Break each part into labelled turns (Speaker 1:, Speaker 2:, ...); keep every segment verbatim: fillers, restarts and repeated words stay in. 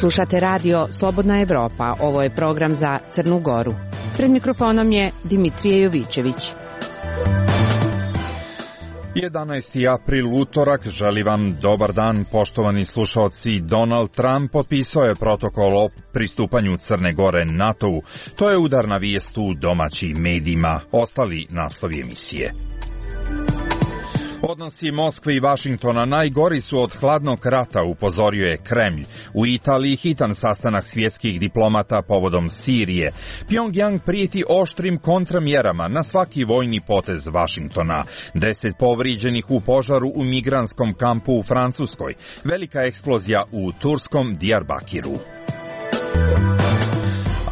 Speaker 1: Slušate radio Slobodna Evropa, ovo je program za Crnu Goru. Pred mikrofonom je Dimitrije Jovićević.
Speaker 2: jedanaesti april, utorak, želi vam dobar dan, poštovani slušalci. Donald Trump potpisao je protokol o pristupanju Crne Gore NATO-u. To je udarna vijest u domaćim medijima. Ostali naslovi emisije. Odnosi Moskve i Vašingtona najgori su od hladnog rata, upozorio je Kremlj. U Italiji hitan sastanak svjetskih diplomata povodom Sirije. Pjongjang prijeti oštrim kontramjerama na svaki vojni potez Vašingtona. Deset povrijeđenih u požaru u migrantskom kampu u Francuskoj. Velika eksplozija u turskom Diyarbakiru.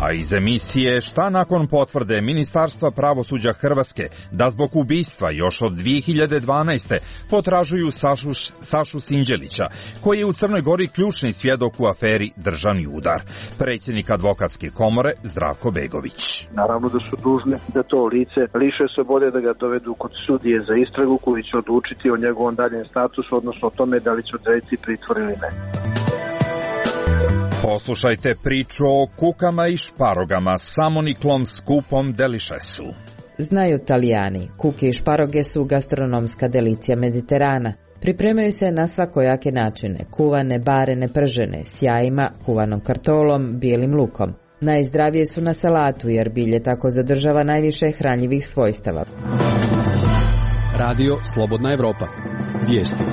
Speaker 2: A iz emisije šta nakon potvrde Ministarstva pravosuđa Hrvatske da zbog ubistva još od dvije hiljade dvanaeste. potražuju Sašu, Sašu Sinđelića, koji je u Crnoj Gori ključni svjedok u aferi Državni udar. Predsjednik advokatske komore Zdravko Begović.
Speaker 3: Naravno da su dužni da to lice liše slobode, da ga dovedu kod sudije za istragu koji će odlučiti o njegovom daljem statusu, odnosno o tome da li će odrediti pritvor ili ne.
Speaker 2: Poslušajte priču o kukama i šparogama, samoniklom skupom delišesu.
Speaker 4: Znaju Talijani, kuke i šparoge su gastronomska delicija Mediterana. Pripremaju se na svakojake načine, kuvane, barene, pržene, s jajima, kuvanom kartolom, bijelim lukom. Najzdravije su na salatu jer bilje tako zadržava najviše hranjivih svojstava.
Speaker 5: Radio Slobodna Evropa. Vijesti.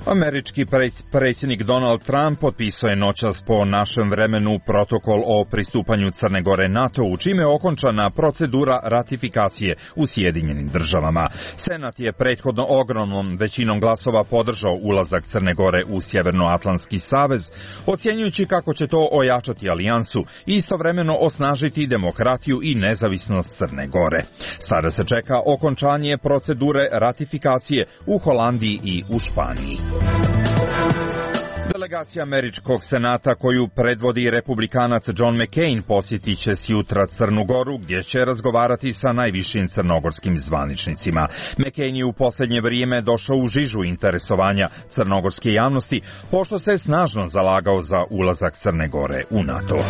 Speaker 2: Američki predsjednik Donald Trump potpisao je noćas po našem vremenu protokol o pristupanju Crne Gore NATO-u, čime je okončana procedura ratifikacije u Sjedinjenim državama. Senat je prethodno ogromnom većinom glasova podržao ulazak Crne Gore u Sjevernoatlantski savez, ocjenjujući kako će to ojačati alijansu i istovremeno osnažiti demokratiju i nezavisnost Crne Gore. Sada se čeka okončanje procedure ratifikacije u Holandiji i u Španiji. Delegacija Američkog senata koju predvodi republikanac John McCain posjetit će sjutra Crnu Goru, gdje će razgovarati sa najvišim crnogorskim zvaničnicima. McCain je u posljednje vrijeme došao u žižu interesovanja crnogorske javnosti, pošto se snažno zalagao za ulazak Crne Gore u NATO.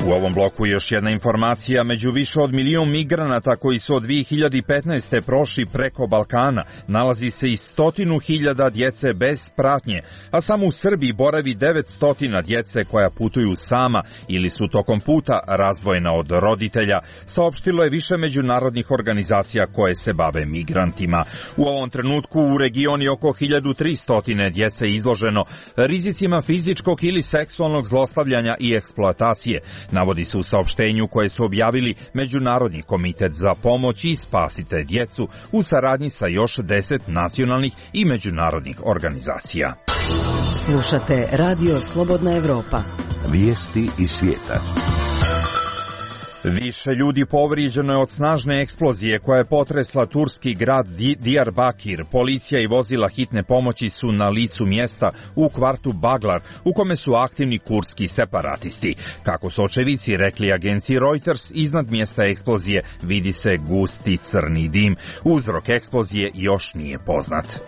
Speaker 2: U ovom bloku još jedna informacija. Među više od milijun migranata koji su od dvije hiljade petnaeste. prošli preko Balkana nalazi se i stotinu hiljada djece bez pratnje, a samo u Srbiji boravi devetsto djece koja putuju sama ili su tokom puta razdvojena od roditelja, saopštilo je više međunarodnih organizacija koje se bave migrantima. U ovom trenutku u regioni oko hiljadu tristo djece izloženo rizicima fizičkog ili seksualnog zlostavljanja i eksploatacije, navodi se u saopštenju koje su objavili Međunarodni komitet za pomoć i spasite djecu u saradnji sa još deset nacionalnih i međunarodnih organizacija.
Speaker 4: Slušate Radio Slobodna Evropa.
Speaker 6: Vijesti iz svijeta.
Speaker 2: Više ljudi povrijeđeno je od snažne eksplozije koja je potresla turski grad Diyarbakir. Policija i vozila hitne pomoći su na licu mjesta u kvartu Baglar, u kome su aktivni kurdski separatisti. Kako su očevici rekli agenciji Reuters, iznad mjesta eksplozije vidi se gusti crni dim. Uzrok eksplozije još nije poznat.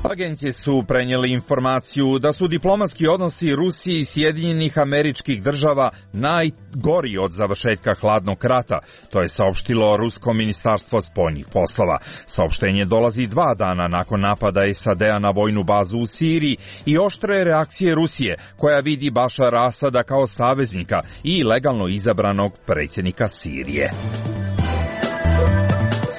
Speaker 2: Agencije su prenijeli informaciju da su diplomatski odnosi Rusije i Sjedinjenih Američkih Država najgori od završetka hladnog rata. To je saopštilo Rusko ministarstvo spoljnih poslova. Saopštenje dolazi dva dana nakon napada S A D-a na vojnu bazu u Siriji i oštre reakcije Rusije, koja vidi Bašara Asada kao saveznika i legalno izabranog predsjednika Sirije.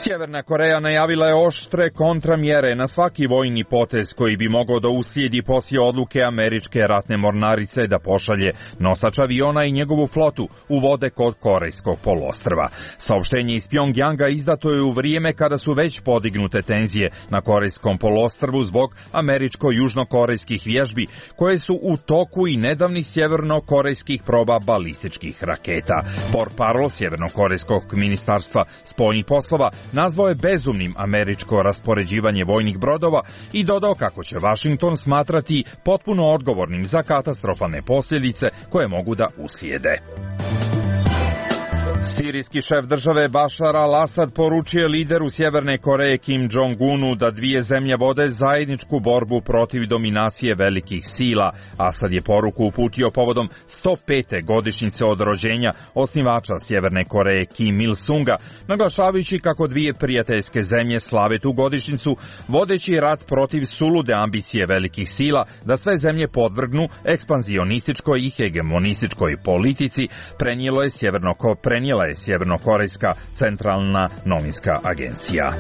Speaker 2: Sjeverna Koreja najavila je oštre kontramjere na svaki vojni potez koji bi mogao da uslijedi poslije odluke američke ratne mornarice da pošalje nosač aviona i njegovu flotu u vode kod Korejskog poluostrva. Saopštenje iz Pjongjanga izdato je u vrijeme kada su već podignute tenzije na Korejskom poluostrvu zbog američko-južnokorejskih vježbi koje su u toku i nedavnih sjevernokorejskih proba balističkih raketa. Portparol Sjevernokorejskog ministarstva spoljnih poslova nazvao je bezumnim američko raspoređivanje vojnih brodova i dodao kako će Washington smatrati potpuno odgovornim za katastrofalne posljedice koje mogu da uslijede. Sirijski šef države Bašar al-Asad poručio lideru Sjeverne Koreje Kim Jong-unu da dvije zemlje vode zajedničku borbu protiv dominacije velikih sila. Asad je poruku uputio povodom sto pete godišnjice od rođenja osnivača Sjeverne Koreje Kim Il-sunga, naglašavajući kako dvije prijateljske zemlje slave tu godišnjicu, vodeći rat protiv sulude ambicije velikih sila da sve zemlje podvrgnu ekspanzionističkoj i hegemonističkoj politici, prenijelo je sjeverno prenijela je Sjevernokorejska centralna novinska agencija.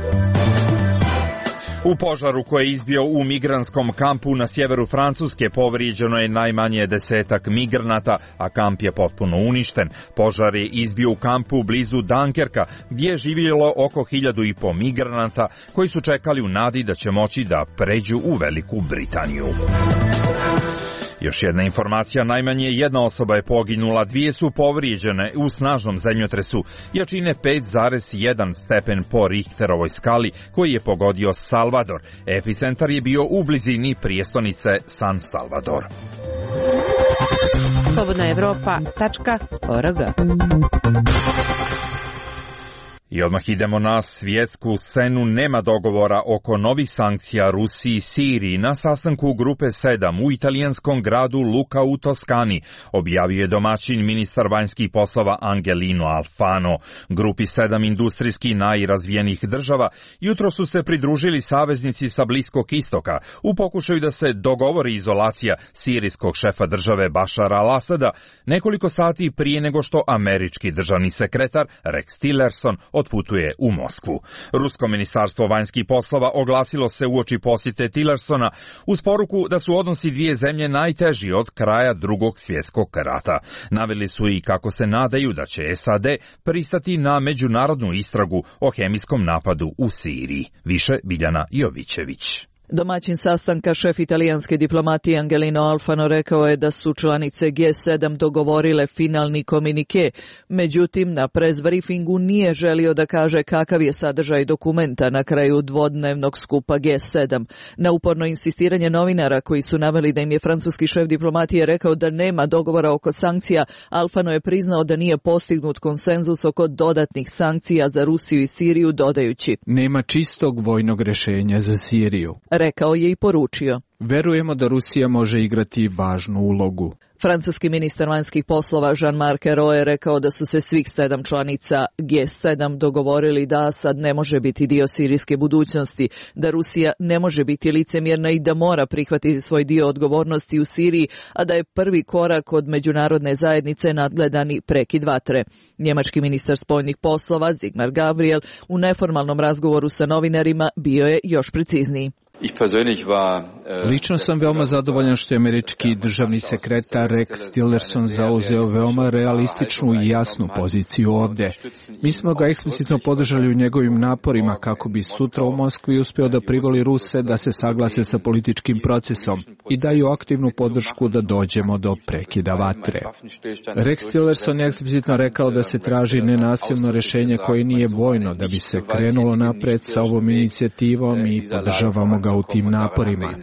Speaker 2: U požaru koji je izbio u migrantskom kampu na sjeveru Francuske povrijeđeno je najmanje desetak migranata, a kamp je potpuno uništen. Požar je izbio u kampu blizu Dunkerka, gdje je živjelo oko hiljadu i po migranata koji su čekali u nadi da će moći da pređu u Veliku Britaniju. Još jedna informacija, najmanje jedna osoba je poginula, dvije su povrijeđene u snažnom zemljotresu jačine pet zarez jedan stepen po Richterovoj skali koji je pogodio Salvador. Epicentar je bio u blizini prijestolnice San Salvador.
Speaker 1: slobodna evropa tačka org.
Speaker 2: I odmah idemo na svjetsku scenu. Nema dogovora oko novih sankcija Rusiji i Siriji. Na sastanku grupe sedam u italijanskom gradu Luca u Toskani objavio je domaćin ministar vanjskih poslova Angelino Alfano. Grupi sedam industrijski najrazvijenijih država jutro su se pridružili saveznici sa Bliskog istoka u pokušaju da se dogovori izolacija sirijskog šefa države Bašara al-Asada nekoliko sati prije nego što američki državni sekretar Rex Tillerson otputuje u Moskvu. Rusko ministarstvo vanjskih poslova oglasilo se uoči posjete Tillersona uz poruku da su odnosi dvije zemlje najteži od kraja Drugog svjetskog rata. Naveli su i kako se nadaju da će S A D pristati na međunarodnu istragu o hemijskom napadu u Siriji. Više Biljana Jovićević.
Speaker 7: Domaćin sastanka, šef italijanske diplomatije Angelino Alfano, rekao je da su članice G sedam dogovorile finalni komunike, međutim na press briefingu nije želio da kaže kakav je sadržaj dokumenta na kraju dvodnevnog skupa G sedam. Na uporno insistiranje novinara koji su naveli da im je francuski šef diplomatije rekao da nema dogovora oko sankcija, Alfano je priznao da nije postignut konsenzus oko dodatnih sankcija za Rusiju i Siriju, dodajući:
Speaker 8: nema čistog vojnog rješenja za Siriju.
Speaker 7: Rekao je i poručio:
Speaker 8: verujemo da Rusija može igrati važnu ulogu.
Speaker 7: Francuski ministar vanjskih poslova Jean-Marc Ayrault je rekao da su se svih sedam članica G sedam dogovorili da Asad ne može biti dio sirijske budućnosti, da Rusija ne može biti licemjerna i da mora prihvatiti svoj dio odgovornosti u Siriji, a da je prvi korak od međunarodne zajednice nadgledani prekid vatre. Njemački ministar spoljnih poslova Sigmar Gabriel u neformalnom razgovoru sa novinarima bio je još precizniji.
Speaker 8: Lično sam veoma zadovoljan što je američki državni sekretar Rex Tillerson zauzeo veoma realističnu i jasnu poziciju ovdje. Mi smo ga eksplicitno podržali u njegovim naporima kako bi sutra u Moskvi uspio da privoli Ruse da se saglase sa političkim procesom i daju aktivnu podršku da dođemo do prekida vatre. Rex Tillerson je eksplicitno rekao da se traži nenasilno rješenje koje nije vojno da bi se krenulo napred sa ovom inicijativom i podržavamo ga u tim naporima.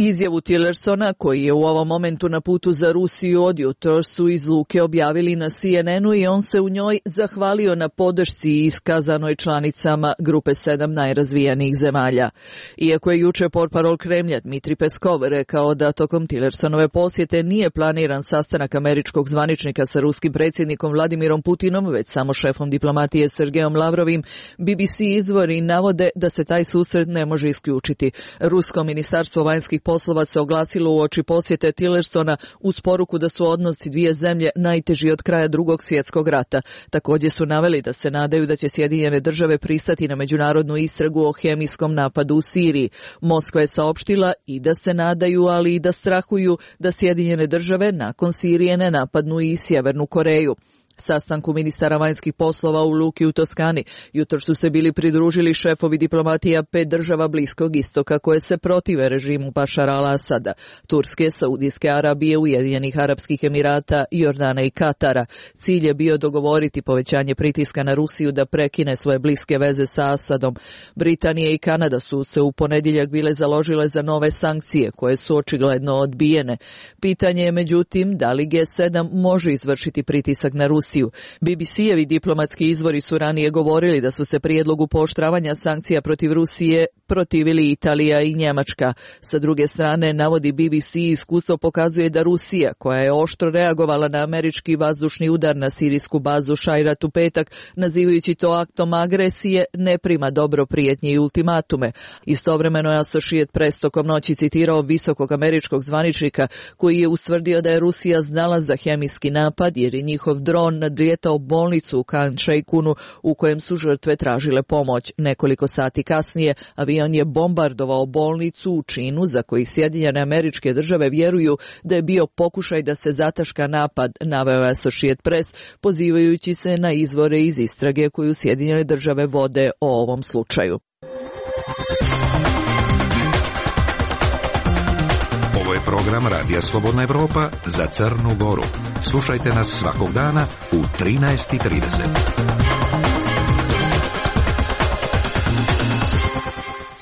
Speaker 7: Izjavu Tillersona, koji je u ovom momentu na putu za Rusiju od jutro, su iz Luke objavili na C N N-u i on se u njoj zahvalio na podršci iskazanoj članicama grupe sedam najrazvijenijih zemalja. Iako je juče portparol Kremlja Dmitri Peskov rekao da tokom Tillersonove posjete nije planiran sastanak američkog zvaničnika sa ruskim predsjednikom Vladimirom Putinom, već samo šefom diplomatije Sergejom Lavrovim, B B C izvori navode da se taj susret ne može isključiti. Rusko ministarstvo vanjskih poslova se oglasilo uoči posjete Tillersona uz poruku da su odnosi dvije zemlje najteži od kraja Drugog svjetskog rata. Također su naveli da se nadaju da će Sjedinjene države pristati na međunarodnu istragu o hemijskom napadu u Siriji. Moskva je saopštila i da se nadaju, ali i da strahuju da Sjedinjene države nakon Sirije ne napadnu i Sjevernu Koreju. Sastanku ministara vanjskih poslova u Luki u Toskani jutro su se bili pridružili šefovi diplomatija pet država Bliskog istoka koje se protive režimu Bašara al-Asada: Turske, Saudijske Arabije, Ujedinjenih Arapskih Emirata, Jordana i Katara. Cilj je bio dogovoriti povećanje pritiska na Rusiju da prekine svoje bliske veze sa Asadom. Britanija i Kanada su se u ponedjeljak bile založile za nove sankcije koje su očigledno odbijene. Pitanje je međutim da li G sedam može izvršiti pritisak na Rusiju Rusiju. B B C-evi diplomatski izvori su ranije govorili da su se prijedlogu pooštravanja sankcija protiv Rusije protivili Italija i Njemačka. Sa druge strane, navodi B B C, iskustvo pokazuje da Rusija, koja je oštro reagovala na američki vazdušni udar na sirijsku bazu Šajrat u petak, nazivajući to aktom agresije, ne prima dobro prijetnje i ultimatume. Istovremeno je Associated Press tokom noći citirao visokog američkog zvaničnika koji je ustvrdio da je Rusija znala za hemijski napad jer je njihov dron nadrijetao bolnicu u Khan Sheikhounu u kojem su žrtve tražile pomoć. Nekoliko sati kasnije avion je bombardovao bolnicu u činu za koji Sjedinjene Američke Države vjeruju da je bio pokušaj da se zataška napad, naveo je Associated Press, pozivajući se na izvore iz istrage koju Sjedinjene Države vode o ovom slučaju.
Speaker 6: Ovo je program Radija Slobodna Evropa za Crnu Goru. Slušajte nas svakog dana u trinaest i trideset.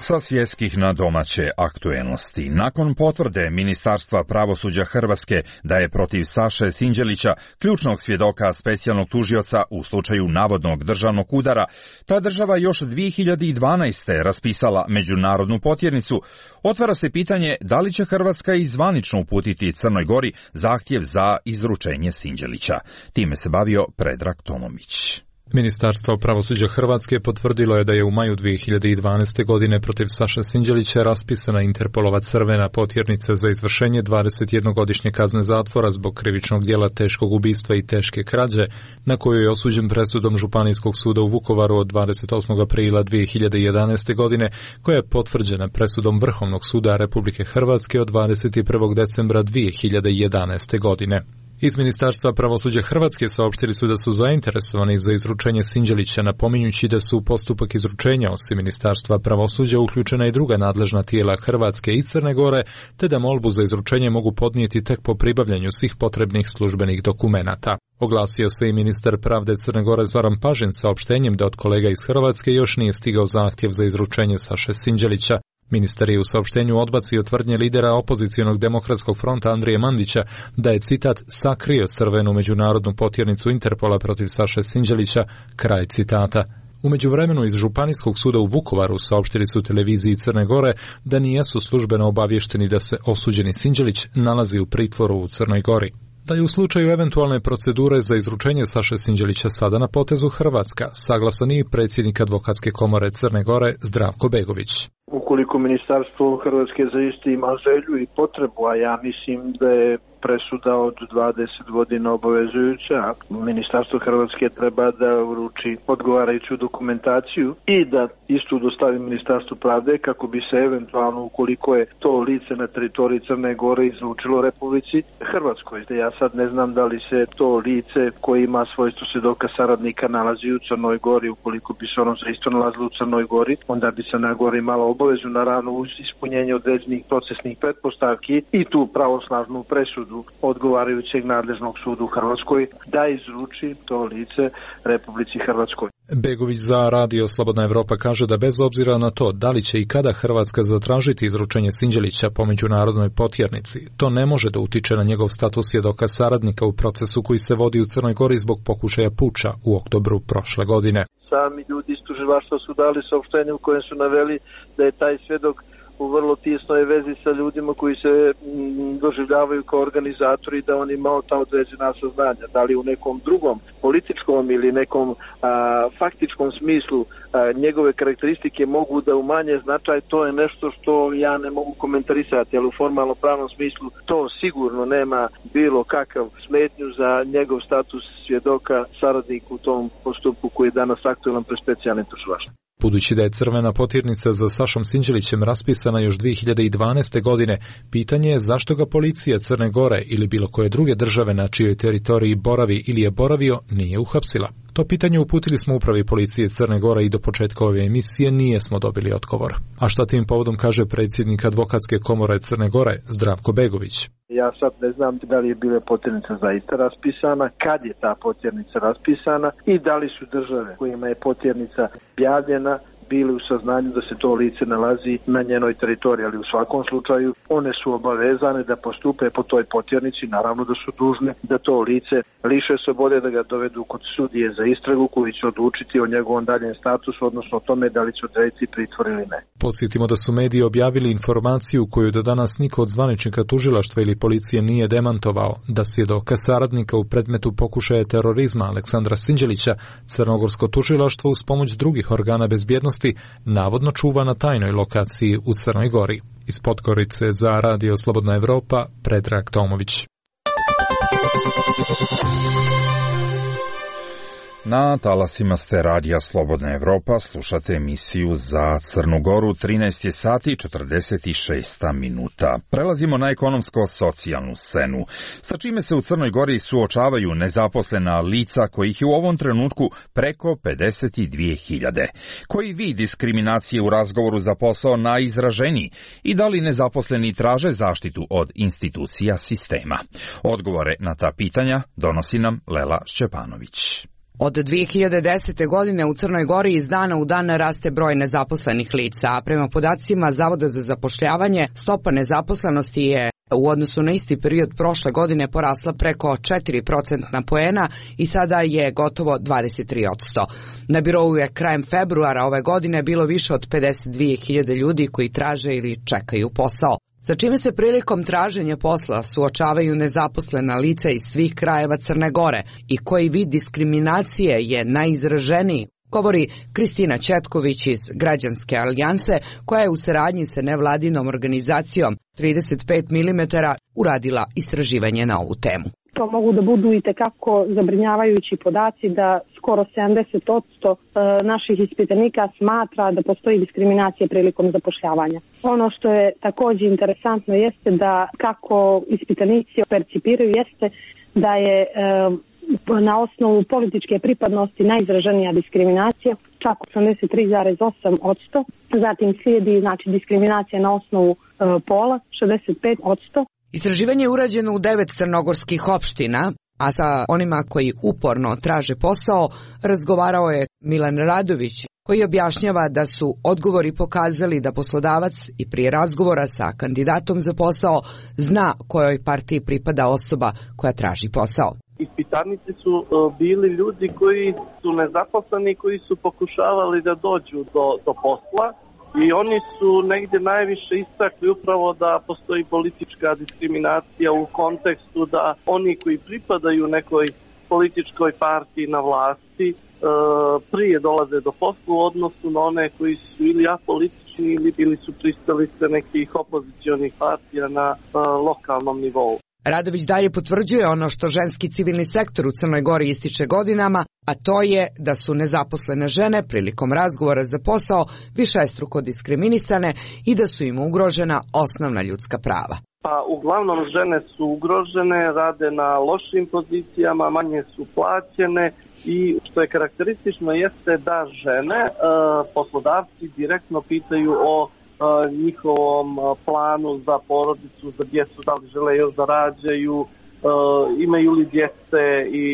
Speaker 2: Sa svjetskih na domaće aktuelnosti. Nakon potvrde Ministarstva pravosuđa Hrvatske da je protiv Saše Sinđelića, ključnog svjedoka specijalnog tužioca u slučaju navodnog državnog udara, ta država još dvije hiljade dvanaeste. raspisala međunarodnu potjernicu, otvara se pitanje da li će Hrvatska i zvanično uputiti Crnoj Gori zahtjev za izručenje Sinđelića. Time se bavio Predrag Tomović.
Speaker 9: Ministarstvo pravosuđa Hrvatske potvrdilo je da je u maju dvije hiljade dvanaeste. godine protiv Saše Sinđelića raspisana Interpolova crvena potjernica za izvršenje dvadesetjednogodišnje kazne zatvora zbog krivičnog djela teškog ubistva i teške krađe, na koju je osuđen presudom Županijskog suda u Vukovaru od dvadeset osmog aprila dvije hiljade jedanaeste. godine, koja je potvrđena presudom Vrhovnog suda Republike Hrvatske od dvadeset prvog decembra dvije hiljade jedanaeste. godine. Iz Ministarstva pravosuđa Hrvatske saopštili su da su zainteresovani za izručenje Sinđelića, napominjući da su u postupak izručenja osim Ministarstva pravosuđa uključena i druga nadležna tijela Hrvatske i Crne Gore, te da molbu za izručenje mogu podnijeti tek po pribavljanju svih potrebnih službenih dokumenata. Oglasio se i ministar pravde Crne Gore Zoran Pažin saopštenjem da od kolega iz Hrvatske još nije stigao zahtjev za izručenje Saše Sinđelića. Ministar je u saopštenju odbacio tvrdnje lidera opozicionog demokratskog fronta Andrije Mandića da je, citat, sakrio crvenu međunarodnu potjernicu Interpola protiv Saše Sinđelića, kraj citata. U međuvremenu iz Županijskog suda u Vukovaru saopštili su televiziji Crne Gore da nijesu službeno obavješteni da se osuđeni Sinđelić nalazi u pritvoru u Crnoj Gori. Da je u slučaju eventualne procedure za izručenje Saše Sinđelića sada na potezu Hrvatska, saglasan i predsjednik Advokatske komore Crne Gore Zdravko Begović.
Speaker 3: Ukoliko Ministarstvo Hrvatske zaista ima želju i potrebu, a ja mislim da je presuda od dvadeset godina obavezujuća, Ministarstvo Hrvatske treba da uruči odgovarajuću dokumentaciju i da istu dostavi Ministarstvu pravde kako bi se eventualno, ukoliko je to lice na teritoriji Crne Gore, izručilo Republici Hrvatskoj. Ja sad ne znam da li se to lice koje ima svojstvo svjedoka saradnika nalazi u Crnoj Gori. Ukoliko bi se ono zaista nalazilo u Crnoj Gori, onda bi Crna Gora imala obavezu, naravno uz ispunjenje određenih procesnih pretpostavki i tu pravosnažnu presudu odgovarajućeg nadležnog suda u Hrvatskoj da izruči to lice Republici Hrvatskoj.
Speaker 9: Begović za Radio Slobodna Evropa kaže da bez obzira na to da li će i kada Hrvatska zatražiti izručenje Sinđelića po međunarodnoj potjernici, to ne može da utiče na njegov status svjedoka saradnika u procesu koji se vodi u Crnoj Gori zbog pokušaja puča u oktobru prošle godine.
Speaker 3: Sami ljudi iz tužilaštva su dali saopštenje u kojem su naveli da je taj svjedok u vrlo tisnoj vezi sa ljudima koji se m, doživljavaju kao organizatori, da on imao ta određena saznanja. Da li u nekom drugom političkom ili nekom a, faktičkom smislu a, njegove karakteristike mogu da umanje značaj, to je nešto što ja ne mogu komentarisati, ali u formalno pravnom smislu to sigurno nema bilo kakav smetnju za njegov status svjedoka saradnika u tom postupku koji je danas aktualan pred specijalnim tužilaštvom.
Speaker 9: Budući da je crvena potjernica za Sašom Sinđelićem raspisana još dvije hiljade dvanaeste. godine, pitanje je zašto ga policija Crne Gore ili bilo koje druge države na čijoj teritoriji boravi ili je boravio nije uhapsila. To pitanje uputili smo upravi policije Crne Gore i do početka ove emisije nijesmo dobili odgovor. A šta tim povodom kaže predsjednik Advokatske komore Crne Gore Zdravko Begović?
Speaker 3: Ja sad ne znam da li je bila potjernica zaista raspisana, kad je ta potjernica raspisana i da li su države kojima je potjernica objavljena bili u saznanju da se to lice nalazi na njenoj teritoriji, ali u svakom slučaju one su obavezane da postupe po toj potjernici, naravno da su dužne da to lice liše slobode, da ga dovedu kod sudije za istragu koji će odlučiti o njegovom daljem statusu, odnosno o tome da li će odrediti pritvor ili ne.
Speaker 9: Podsjetimo da su mediji objavili informaciju koju do danas niko od zvaničnika tužilaštva ili policije nije demantovao, da svjedoka saradnika u predmetu pokušaja terorizma Aleksandra Sinđelića crnogorsko tužilaštvo uz pomoć drugih organa bezbjednosti navodno čuva na tajnoj lokaciji u Crnoj Gori. Iz Podgorice za Radio Slobodna Evropa, Predrag Tomović.
Speaker 2: Na talasima ste Radija Slobodna Evropa, slušate emisiju za Crnu Goru, trinaest je sati i četrdeset šest minuta. Prelazimo na ekonomsko-socijalnu scenu, sa čime se u Crnoj Gori suočavaju nezaposlena lica kojih je u ovom trenutku preko pedeset dvije hiljade. Koji vid diskriminacije u razgovoru za posao najizraženiji i da li nezaposleni traže zaštitu od institucija sistema? Odgovore na ta pitanja donosi nam Lela Šćepanović.
Speaker 10: Od dvije hiljade desete. godine u Crnoj Gori iz dana u dan raste broj nezaposlenih lica, a prema podacima Zavoda za zapošljavanje stopa nezaposlenosti je u odnosu na isti period prošle godine porasla preko četiri procentna poena i sada je gotovo dvadeset tri posto. Na birou je krajem februara ove godine bilo više od pedeset dvije hiljade ljudi koji traže ili čekaju posao. Sa čime se prilikom traženja posla suočavaju nezaposlena lica iz svih krajeva Crne Gore i koji vid diskriminacije je najizraženiji, govori Kristina Četković iz Građanske alijanse, koja je u saradnji sa nevladinom organizacijom trideset pet milimetara uradila istraživanje na ovu temu.
Speaker 11: To mogu da budu i tekako zabrinjavajući podaci da skoro sedamdeset posto naših ispitanika smatra da postoji diskriminacija prilikom zapošljavanja. Ono što je također interesantno jeste da kako ispitanici percipiraju jeste da je na osnovu političke pripadnosti najizraženija diskriminacija, čak osamdeset tri zarez osam posto. Zatim slijedi znači diskriminacija na osnovu pola, šezdeset pet posto.
Speaker 10: Istraživanje je urađeno u devet crnogorskih opština, a sa onima koji uporno traže posao razgovarao je Milan Radović, koji objašnjava da su odgovori pokazali da poslodavac i prije razgovora sa kandidatom za posao zna kojoj partiji pripada osoba koja traži posao.
Speaker 12: Ispitanici su bili ljudi koji su nezaposleni, koji su pokušavali da dođu do, do posla. I oni su negdje najviše istakli upravo da postoji politička diskriminacija u kontekstu da oni koji pripadaju nekoj političkoj partiji na vlasti e, prije dolaze do posla u odnosu na one koji su ili apolitični ili bili su pristalice nekih opozicionih partija na e, lokalnom nivou.
Speaker 10: Radović dalje potvrđuje ono što ženski civilni sektor u Crnoj Gori ističe godinama, a to je da su nezaposlene žene prilikom razgovora za posao višestruko diskriminisane i da su im ugrožena osnovna ljudska prava.
Speaker 12: Pa uglavnom žene su ugrožene, rade na lošim pozicijama, manje su plaćene i što je karakteristično jeste da žene e, poslodavci direktno pitaju o njihovom planu za porodicu, za djecu, da li žele još da rađaju, imaju li djece i,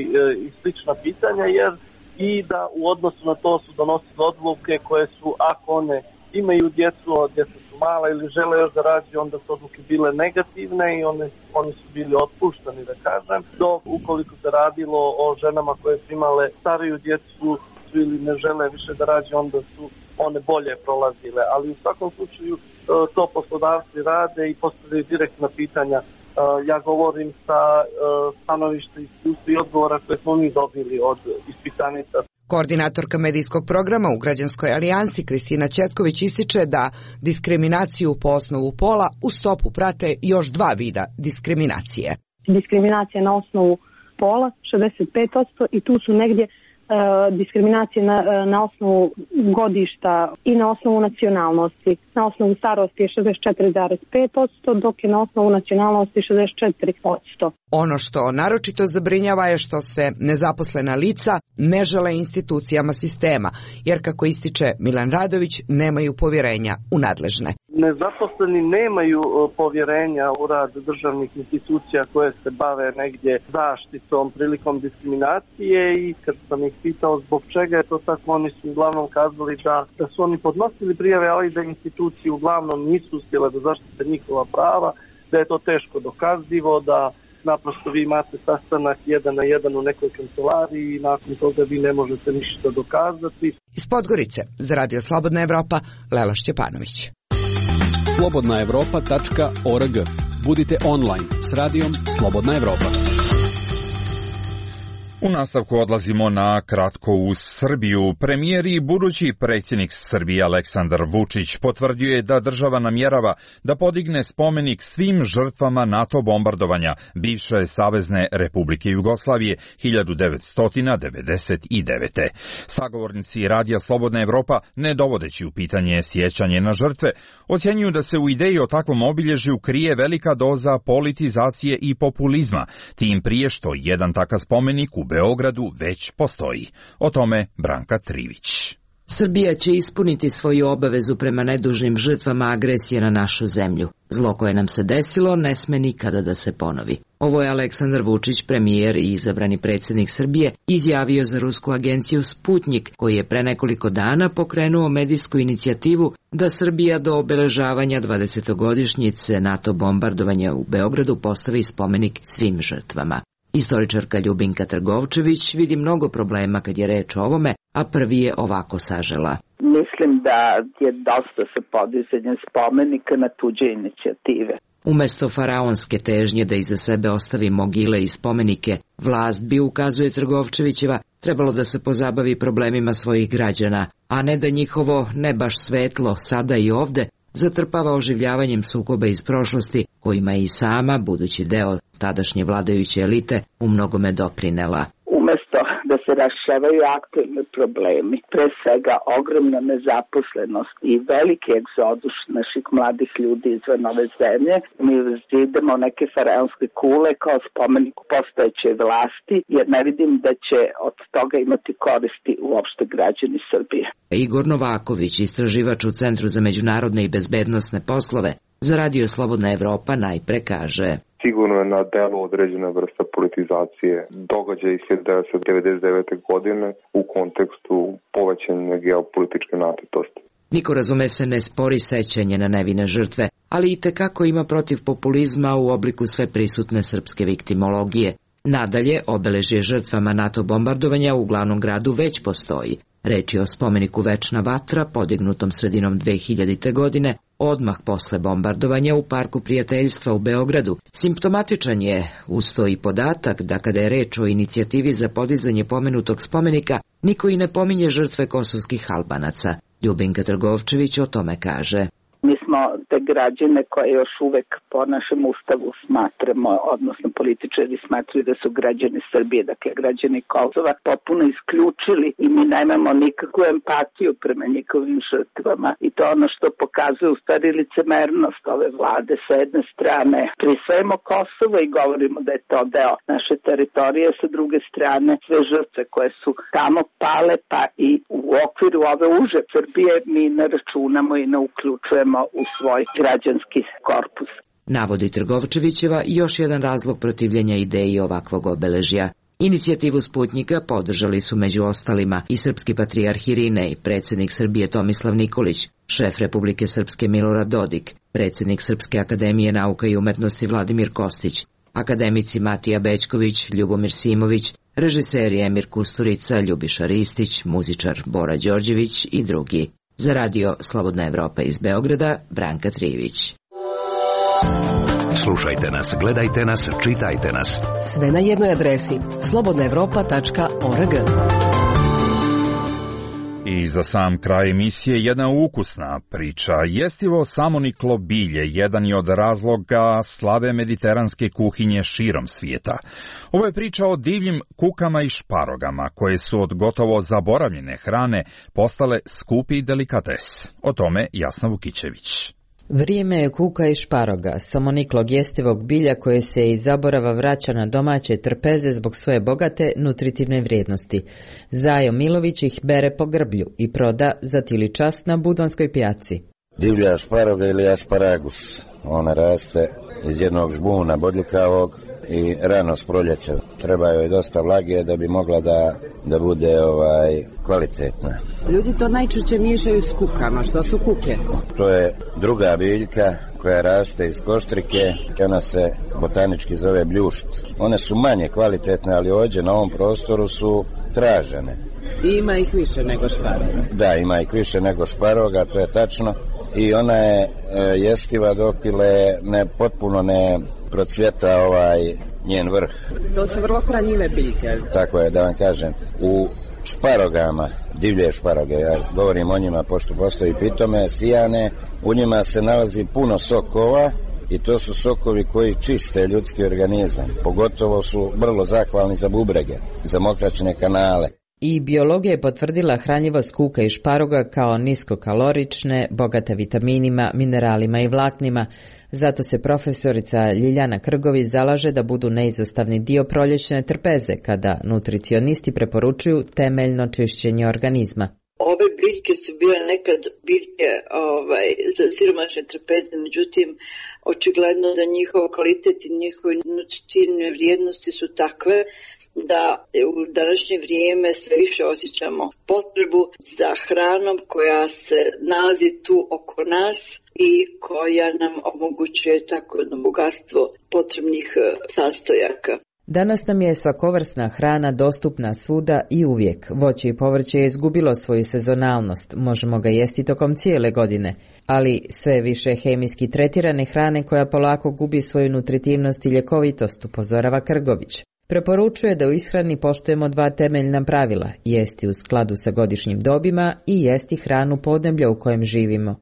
Speaker 12: i slična pitanja, jer i da u odnosu na to su donosili odluke koje su, ako one imaju djecu, a djeca su mala ili žele još da rađaju, onda su odluke bile negativne i one, oni su bili otpuštani, da kažem. Dok ukoliko se radilo o ženama koje su imale stariju djecu ili ne žele više da rađaju, onda su one bolje prolazile, ali u svakom slučaju to poslodavci rade i postavljaju direktna pitanja. Ja govorim sa stanovišta iskustva i odgovora koje smo mi dobili od ispitanica.
Speaker 10: Koordinatorka medijskog programa u Građanskoj alijansi Kristina Četković ističe da diskriminaciju po osnovu pola u stopu prate još dva vida diskriminacije.
Speaker 11: Diskriminacija na osnovu pola šezdeset pet posto i tu su negdje diskriminacije na, na osnovu godišta i na osnovu nacionalnosti. Na osnovu starosti je šezdeset četiri zarez pet posto, dok je na osnovu nacionalnosti šezdeset četiri posto.
Speaker 10: Ono što naročito zabrinjava je što se nezaposlena lica ne žele institucijama sistema, jer kako ističe Milan Radović, nemaju povjerenja u nadležne.
Speaker 12: Nezaposleni nemaju povjerenja u rad državnih institucija koje se bave negdje zaštitom prilikom diskriminacije i kad sam ih pitao zbog čega je to tako, oni su uglavnom kazali da, da su oni podnosili prijave, ali da institucije uglavnom nisu uspjele da zaštite njihova prava, da je to teško dokazivo, da naprosto vi imate sastanak jedan na jedan u nekoj kancelariji i nakon toga vi ne možete ništa dokazati.
Speaker 10: Iz Podgorice za Radio Slobodna Evropa, Lela Šćepanović.
Speaker 5: slobodna evropa tačka org. Budite online s radijom Slobodna Evropa.
Speaker 2: U nastavku odlazimo na kratko u Srbiju. Premijer i budući predsjednik Srbije Aleksandar Vučić potvrdio je da država namjerava da podigne spomenik svim žrtvama NATO bombardovanja bivše Savezne Republike Jugoslavije hiljadu devetsto devedeset devete. Sagovornici Radija Slobodna Evropa, ne dovodeći u pitanje sjećanje na žrtve, ocjenjuju da se u ideji o takvom obilježju krije velika doza politizacije i populizma, tim prije što jedan takav spomenik u Beogradu već postoji. O tome Branka Trivić.
Speaker 4: Srbija će ispuniti svoju obavezu prema nedužnim žrtvama agresije na našu zemlju. Zlo koje nam se desilo ne sme nikada da se ponovi. Ovo je Aleksandar Vučić, premijer i izabrani predsjednik Srbije, izjavio za rusku agenciju Sputnjik, koji je pre nekoliko dana pokrenuo medijsku inicijativu da Srbija do obeležavanja dvadesetogodišnjice NATO bombardovanja u Beogradu postavi spomenik svim žrtvama. Istoričarka Ljubinka Trgovčević vidi mnogo problema kad je reč o ovome, a prvi je ovako sažela.
Speaker 13: Mislim da je dosta sa podizanjem spomenika na tuđe inicijative.
Speaker 4: Umesto faraonske težnje da iza sebe ostavi mogile i spomenike, vlast bi, ukazuje Trgovčevićeva, trebalo da se pozabavi problemima svojih građana, a ne da njihovo ne baš svetlo sada i ovde zatrpava oživljavanjem sukoba iz prošlosti, kojima je i sama, budući deo tadašnje vladajuće elite, u mnogome doprinela.
Speaker 13: Umesto da se rešavaju aktualni problemi, pre svega ogromna nezaposlenost i veliki egzodus naših mladih ljudi izvan ove zemlje, mi idemo neke faraonske kule kao spomenik postojeće vlasti, jer ne vidim da će od toga imati koristi uopšte građani Srbije.
Speaker 4: Igor Novaković, istraživač u Centru za međunarodne i bezbednosne poslove, za Radio Slobodna Evropa najpre kaže:
Speaker 14: Sigurno je na delu određena vrsta politizacije događaja iz hiljadu devetsto devedeset devete. godine u kontekstu povećanja geopolitičke napetosti.
Speaker 4: Niko, razume se, ne spori sećanje na nevine žrtve, ali i tekako ima protiv populizma u obliku sve prisutne srpske viktimologije. Nadalje, obeležje žrtvama NATO bombardovanja u glavnom gradu već postoji. Reč je o spomeniku Večna vatra, podignutom sredinom dve hiljadite. godine, odmah posle bombardovanja u Parku prijateljstva u Beogradu. Simptomatičan je uz to i podatak da kada je reč o inicijativi za podizanje pomenutog spomenika, niko i ne pominje žrtve kosovskih Albanaca. Ljubinka Trgovčević o tome kaže:
Speaker 13: Mi smo te građane koje još uvek po našem ustavu smatramo, odnosno političari smatruju da su građani Srbije, dakle građani Kosova, potpuno isključili i mi nemamo nikakvu empatiju prema njihovim žrtvama. I to ono što pokazuje u stvari licemernost ove vlade. Sa jedne strane prisvajamo Kosovo i govorimo da je to deo naše teritorije, sa druge strane sve žrtve koje su tamo pale, pa i u okviru ove uže Srbije mi ne računamo i ne uključujemo u svoj građanski korpus.
Speaker 4: Navodi Trgovčevićeva još jedan razlog protivljenja ideji ovakvog obeležja. Inicijativu Sputnjika podržali su među ostalima i srpski patrijarh Irinej, predsjednik Srbije Tomislav Nikolić, šef Republike Srpske Milorad Dodik, predsjednik Srpske akademije nauka i umetnosti Vladimir Kostić, akademici Matija Bećković, Ljubomir Simović, režiseri Emir Kusturica, Ljubiša Ristić, muzičar Bora Đorđević i drugi. Za Radio Slobodna Evropa iz Beograda, Branka Trivić.
Speaker 6: Slušajte nas, gledajte nas, čitajte nas.
Speaker 15: Sve na jednoj adresi slobodna evropa tačka org.
Speaker 2: I za sam kraj emisije jedna ukusna priča. Jestivo samoniklo bilje jedan je od razloga slave mediteranske kuhinje širom svijeta. Ovo je priča o divljim kukama i šparogama koje su od gotovo zaboravljene hrane postale skupi delikates. O tome Jasna Vukićević.
Speaker 4: Vrijeme je kuka i šparoga, samoniklog jestivog bilja koje se iz zaborava vraća na domaće trpeze zbog svoje bogate nutritivne vrijednosti. Zajo Milović ih bere po grblju i proda za tili čas na Budonskoj pijaci.
Speaker 16: Divlja šparoga ili asparagus. Ona raste iz jednog žbuna bodljikavog i rano s proljeća. Treba joj dosta vlage da bi mogla da, da bude ovaj, kvalitetna.
Speaker 4: Ljudi to najčešće miješaju s kukama. Što su kuke?
Speaker 16: To je druga biljka koja raste iz koštrike. Ona se botanički zove bljušt. One su manje kvalitetne, ali ovdje na ovom prostoru su tražene.
Speaker 4: I ima ih više nego šparoga.
Speaker 16: Da, ima ih više nego šparoga, to je tačno. I ona je e, jestiva dok ile ne potpuno ne procvjeta ovaj njen vrh.
Speaker 4: To su vrlo hranjive biljke.
Speaker 16: Tako je, da vam kažem. U šparogama, divlje šparoge, ja govorim o njima pošto postoji pitome, sijane, u njima se nalazi puno sokova i to su sokovi koji čiste ljudski organizam. Pogotovo su vrlo zahvalni za bubrege, za mokraćne kanale.
Speaker 4: I biologija je potvrdila hranjivost kuka i šparoga kao niskokalorične, bogate vitaminima, mineralima i vlaknima. Zato se profesorica Ljiljana Krgović zalaže da budu neizostavni dio proljećne trpeze, kada nutricionisti preporučuju temeljno čišćenje organizma.
Speaker 17: Ove biljke su bile nekad biljke ovaj, za siromašne trpeze, međutim, očigledno da njihov kvalitet i njihove nutritivne vrijednosti su takve da u današnje vrijeme sve više osjećamo potrebu za hranom koja se nalazi tu oko nas i koja nam omogućuje tako jedno bogatstvo potrebnih sastojaka.
Speaker 4: Danas nam je svakovrsna hrana dostupna svuda i uvijek. Voće i povrće je izgubilo svoju sezonalnost, možemo ga jesti tokom cijele godine, ali sve više hemijski tretirane hrane koja polako gubi svoju nutritivnost i ljekovitost, upozorava Krgović. Preporučuje da u ishrani poštujemo dva temeljna pravila, jesti u skladu sa godišnjim dobima i jesti hranu podneblja u kojem živimo.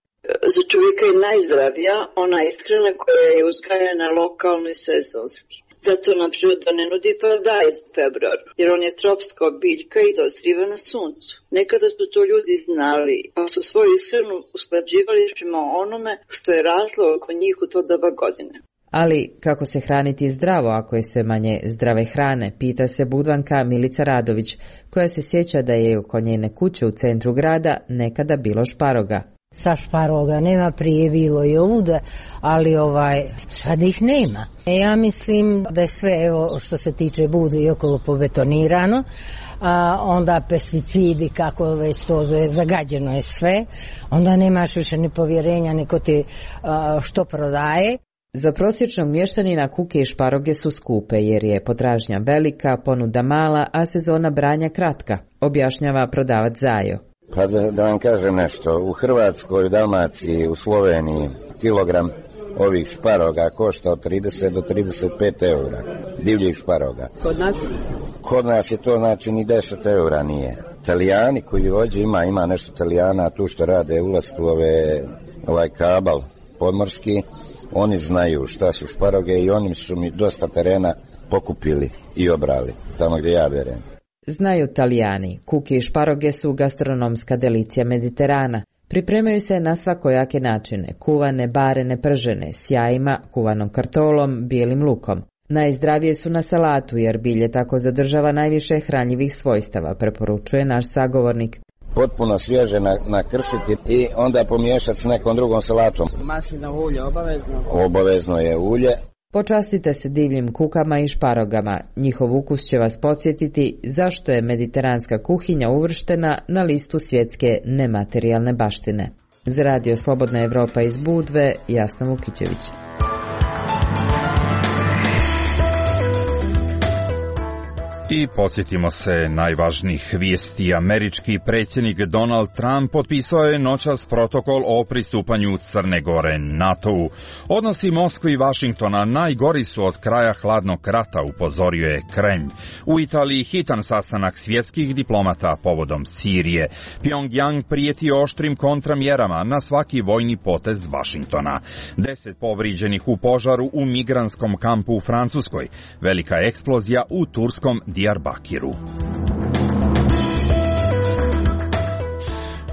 Speaker 17: Za čovjeka je najzdravija ona ishrana koja je uzgajana lokalno i sezonski. Zato nam priroda ne nudi paradajz u februaru, jer on je tropska biljka i dozriva na suncu. Nekada su to ljudi znali, pa su svoju ishranu usklađivali prema onome što je raslo oko njih u to doba godine.
Speaker 4: Ali kako se hraniti zdravo ako je sve manje zdrave hrane, pita se Budvanka Milica Radović, koja se sjeća da je oko njene kuće u centru grada nekada bilo šparoga.
Speaker 18: Sa šparoga nema, prije bilo i ovuda, ali ovaj, sad ih nema. E, ja mislim da je sve, evo, što se tiče budu i okolo pobetonirano, a onda pesticidi, kako već to zove, zagađeno je sve, onda nemaš više ni povjerenja niko ti a, što prodaje.
Speaker 4: Za prosječnog mještanina kuke i šparoge su skupe jer je potražnja velika, ponuda mala, a sezona branja kratka, objašnjava prodavac Zajo.
Speaker 16: Pa da, da vam kažem nešto, u Hrvatskoj, u Dalmaciji, u Sloveniji kilogram ovih šparoga košta od trideset do trideset pet eura, divljih šparoga.
Speaker 4: Kod nas?
Speaker 16: Kod nas je to znači ni deset eura nije. Italijani koji ovdje ima, ima nešto Italijana tu što rade ulasku ove, ovaj kabal podmorski, oni znaju šta su šparoge i oni su mi dosta terena pokupili i obrali, tamo gdje ja berem.
Speaker 4: Znaju Talijani, kuke i šparoge su gastronomska delicija Mediterana. Pripremaju se na svakojake načine, kuvane, barene, pržene, s jajima, kuvanom kartolom, bijelim lukom. Najzdravije su na salatu jer bilje tako zadržava najviše hranjivih svojstava, preporučuje naš sagovornik.
Speaker 16: Potpuno svježe nakršiti i onda pomiješati s nekom drugom salatom.
Speaker 4: Maslinovo ulje obavezno?
Speaker 16: Obavezno je ulje.
Speaker 4: Počastite se divljim kukama i šparogama. Njihov ukus će vas podsjetiti zašto je mediteranska kuhinja uvrštena na listu svjetske nematerijalne baštine. Za Radio Slobodna Evropa iz Budve, Jasna Vukićević.
Speaker 2: I podsjetimo se najvažnijih vijesti. Američki predsjednik Donald Trump potpisao je noćas protokol o pristupanju Crne Gore NATO-u. Odnosi Moskve i Vašingtona najgori su od kraja hladnog rata, upozorio je Kremlj. U Italiji hitan sastanak svjetskih diplomata povodom Sirije. Pyongyang prijeti oštrim kontramjerama na svaki vojni potez Vašingtona. Deset povrijeđenih u požaru u migranskom kampu u Francuskoj. Velika eksplozija u turskom Diyarbakiru.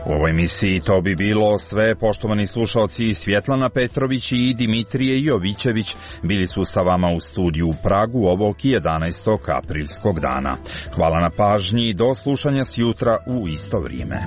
Speaker 2: U ovoj emisiji to bi bilo sve. Poštovani slušalci, Svjetlana Petrović i Dimitrije Jovićević bili su sa vama u studiju u Pragu ovog jedanaestog aprilskog dana. Hvala na pažnji, do slušanja sjutra u isto vrijeme.